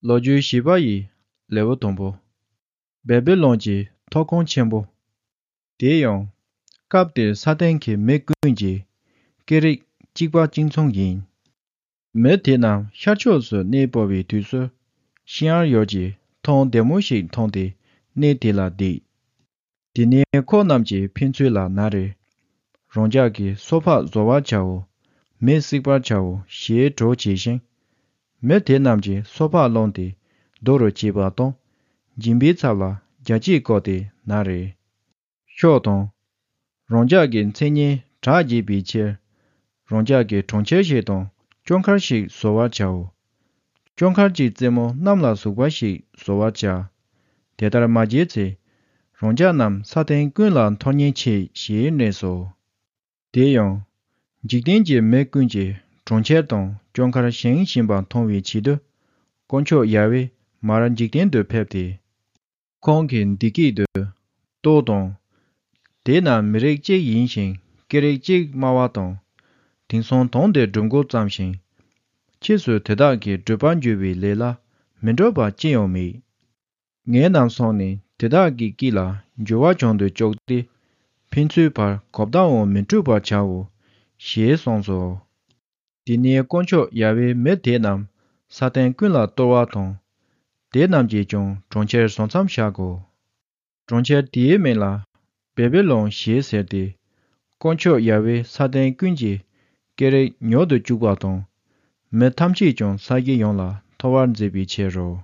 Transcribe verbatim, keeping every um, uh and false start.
Loju shibayi lewo tombo. Babylonji tokon chenbo. Deyong kapde satenki mekunji kerik jikpa jingchong yin. Me tenam shachosu nebobi tusu shiar yoji tong demoshik tongde ne tela di. Dine ko namji pinchui la nare. Rongjaki sopa zowa chao me sikpa chao xie zho chi shing. Me tenamji sopa longde doro chiba tong jimbi tsabla jaji kote nare. Sho tong Rongjaki tsenye chaji biche Rongjaki chongche she tong Jonkar shik sowa chao. Jonkar ji tsemo namla sukwa shik sowa cha. Tetar maji tse Rongjak nam saten kunla tonyen che xie neso. Deyong jikdenji me kunji chongche tong Jonkar sheng shimba tongwe chido Koncho yawe maran jikden do pepte. Kongkin diki do do tong Dena mirek chik yin shing kerek chik mawa tong Tingsong tongde drungo tsam shing Chisu tedaki drupan jubi lela mendroba chiyo mi. Nge nam songni tedaki kila jowa chondo chokde Pinchui par kopdao mendruba chawo xie songso. Dine koncho yawe me tenam saten kunla towa tong Denam ji chong chongcher songsam shago. Chongcher diye me la Babylon xie serde Koncho yawe saten kunji kerek nyodo chukwa tong Me tamchi chong sagi yong la towar zebi che ro.